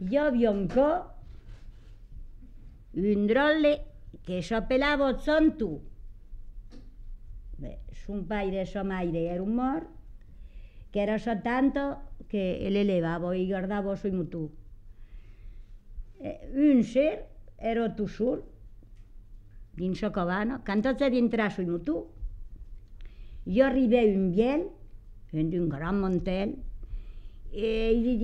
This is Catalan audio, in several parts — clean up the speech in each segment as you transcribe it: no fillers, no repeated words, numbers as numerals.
hi havia un drolle que s'apellava Santu. Bé, son pare i sa mare eren morts, que era sa tanta que l'elevava i guardava sui mutu. Un ser era tu sol, dins sa cabana, quan tots havien entrat sui mutu, jo arribé un biel, d'un gran mantel, i li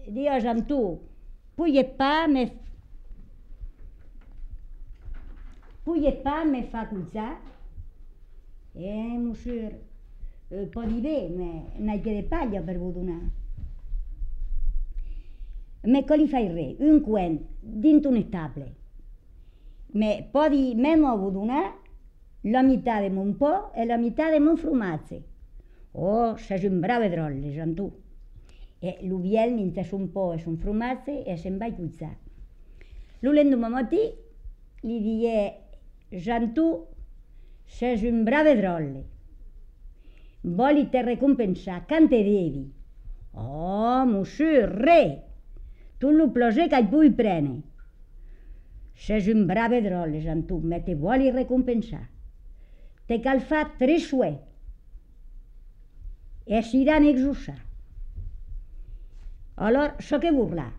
dies amb tu, puies pa me fa cuitzar? Monsieur, pot dir bé, n'hi que de palla per vous donar. Me que li faig res, un coent, dins un estable. Me pot dir, me vous donar la meitat de mon pa e la meitat de mon formatge. Oh, se sembrava drolle, amb tu. Lo biel mentre son pa e son formatge e se'n va cuitzar. Lo l'endemà matí li die, Jantu, se sembrava drolle. Voli te recompensar, quan te devi? Oh, monsieur, re! Tot lo plaser que pugui prendre. Se sembrava drolle, Jantu, me te voli recompensar. Te cal fa 3 suets. E s'iran exusar. Alors, so que burlar.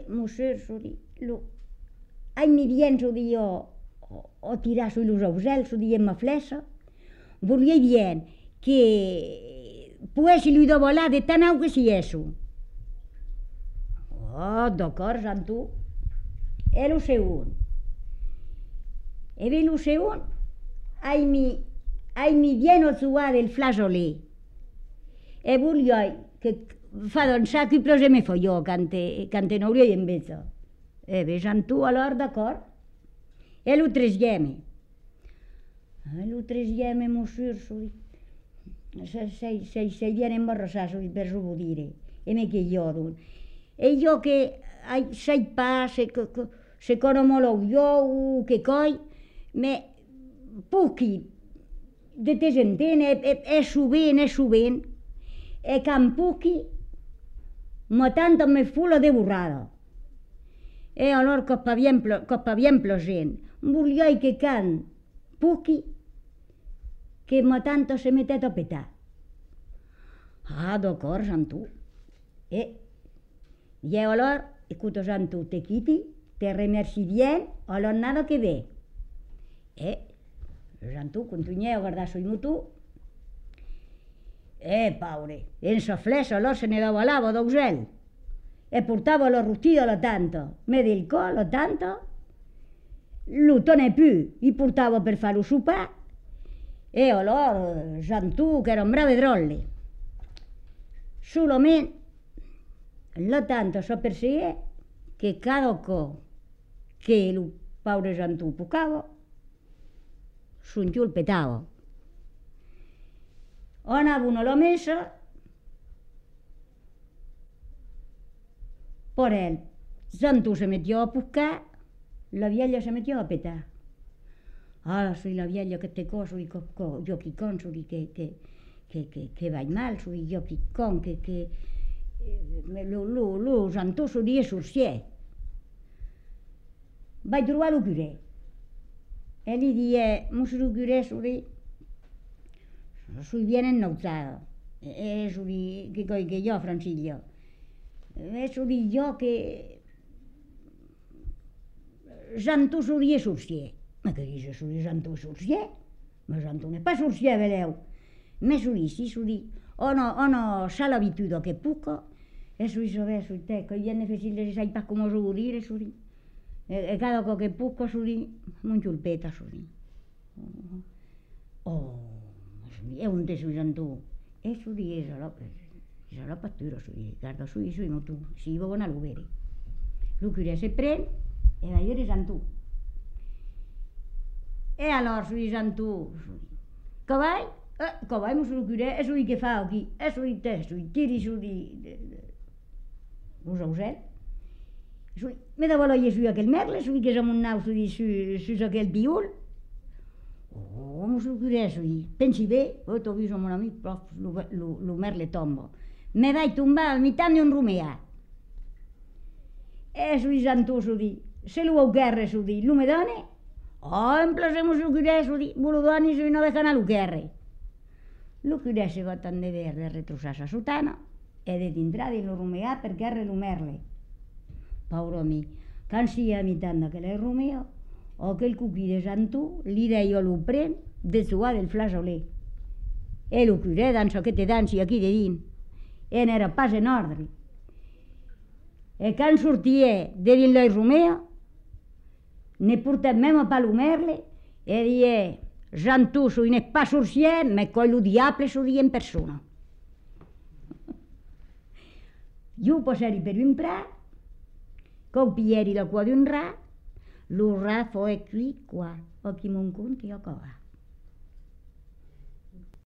Monsieur, ai mi bien, o tirar sui los ausels, diem ma flecha, volia bien que poessi lui de volar de tan au que si eso. Oh, d'acord, Jantu. E lo segon. Lo segon, ai mi bien o suar del flageolet. E volia que fa d'un sac i plose me fa jo, quan n'hauria en veza. Jantu, alors, d'acord. E lo tresgeme. Lo tresgeme, monsieur, se viene embarrassar per suo dire. E me che io, e io che sai pa, se conomolo io, che coi, me pucchi, de te sentene, e sovint, e can pucchi, ma tanto me fula de burrada. E allora coppa bien plosent, volia que can pucchi, que ma tanto se metet a petar. Ah, d'acord, Jantu. I alors, écoute, Jantu, te quiti, te remercie bien, alors nada que ve. Jantu continuè a guardar sul mutu. Paure, en sa flecha, alors se ne dava l'ava d'ausel. E portava la rostida la tanta, me del col la tanta, lo tenè più, i portava per fare lo sopar, e allora Jantu, che era un bravo drolle. Solament la tanta s'apercebé che cada cop que lo paure Jantu pucava, son giù il petava. Anavano alla messa, por él, Jantu se metió a pucar, la vieja se metió a petar. Ah, soy la vieja que te coso y yo quicón, soy que vaig mal, soy yo quicón, que lo Jantu solia sorcier. Vaig trobar lo curé. E li die, monsieur el curé, soy bien ennausada. Soy que jo, Francillo. Soy jo que Jantu solia sorcier. Ma que dius, soy Jantu sorcier? Ma Jantu n'est pas sorcier, veleu. Mais soy, ono sa l'abitude que puca, e soy te, que viene facile, sai pas come oso dire, e cada cop que puca, mon xulpeta, Oh, e un te soy Jantu. E és la pastura, guarda, soy mutu, si va bona lo vere. Lo curé se pren, e va vedere Jantu. E allora soy Jantu, cavall, monsieur le curé, e soy que fa aquí, e soy tiri, los ausels. Me dava l'olla aquell merle, que és amb un nau sus aquell piul. Oh, mos lo curès, pensi bé, t'ho vist mon amic, prof, lo merle tombo. Me vaig tombar al mitat d'un romeà. Su santu, se lo guerre, lo me done? Oh, en plasemos lo curès, lo doni, no dejan a lo guerre. Lo curès se va tan de verde, retrosar sa sotana, e de tindrà di lo romeà per guerre lo merle. Pauro mi, can sia a mitat d'aquell romeo, o aquell cuquí de santu, li deia lo pren de suar del flasolé. E lo curè dansa que te dansi aquí de din, e n'era pas en ordre. E can sortia de din l'oi romeo, ne portem memo pa lo merle, e die, santu, n'è pas sorciè, me coi lo diable en persona. Io poseri per un prat, con piglieri la cua d'un rat, lo rat foi qui qua, o chi mon conti o cova.